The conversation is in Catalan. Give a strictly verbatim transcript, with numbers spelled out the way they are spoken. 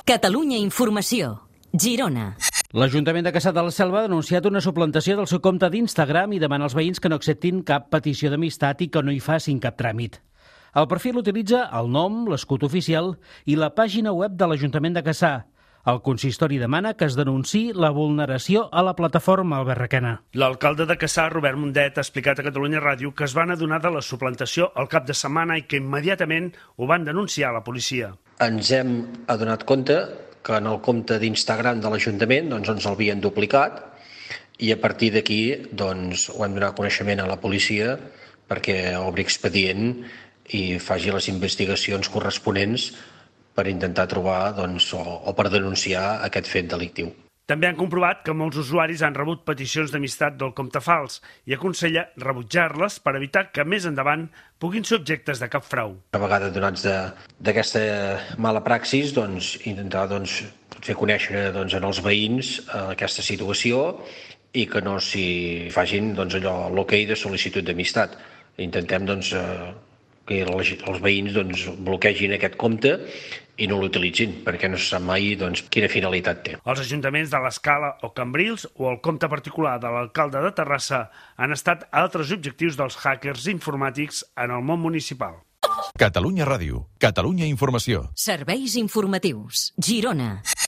Catalunya Informació. Girona. L'Ajuntament de Cassà de la Selva ha denunciat una suplantació del seu compte d'Instagram i demana als veïns que no acceptin cap petició d'amistat i que no hi facin cap tràmit. El perfil utilitza el nom, l'escut oficial i la pàgina web de l'Ajuntament de Cassà. El consistori demana que es denunciï la vulneració a la plataforma, Albert Requena. L'alcalde de Cassà, Robert Mundet, ha explicat a Catalunya Ràdio que es van adonar de la suplantació al cap de setmana i que immediatament ho van denunciar a la policia. Ens hem adonat compte que en el compte d'Instagram de l'Ajuntament doncs, ens l'havien duplicat i a partir d'aquí doncs, ho hem donat coneixement a la policia perquè obri expedient i faci les investigacions corresponents per intentar trobar doncs, o, o per denunciar aquest fet delictiu. També han comprovat que molts usuaris han rebut peticions d'amistat del compte fals i aconsella rebutjar-les per evitar que més endavant puguin ser objectes de cap frau. A vegades, donats d'aquesta mala praxis, doncs, intentar doncs, fer conèixer doncs, en els veïns eh, aquesta situació i que no s'hi facin doncs, allò l'ok de sol·licitud d'amistat. Intentem doncs, eh, que els veïns doncs, bloquegin aquest compte i no l'utilitzin, perquè no se sap mai doncs, quina finalitat té. Els ajuntaments de l'Escala o Cambrils o el compte particular de l'alcalde de Terrassa han estat altres objectius dels hackers informàtics en el món municipal. Catalunya Ràdio, Catalunya Informació. Serveis informatius. Girona.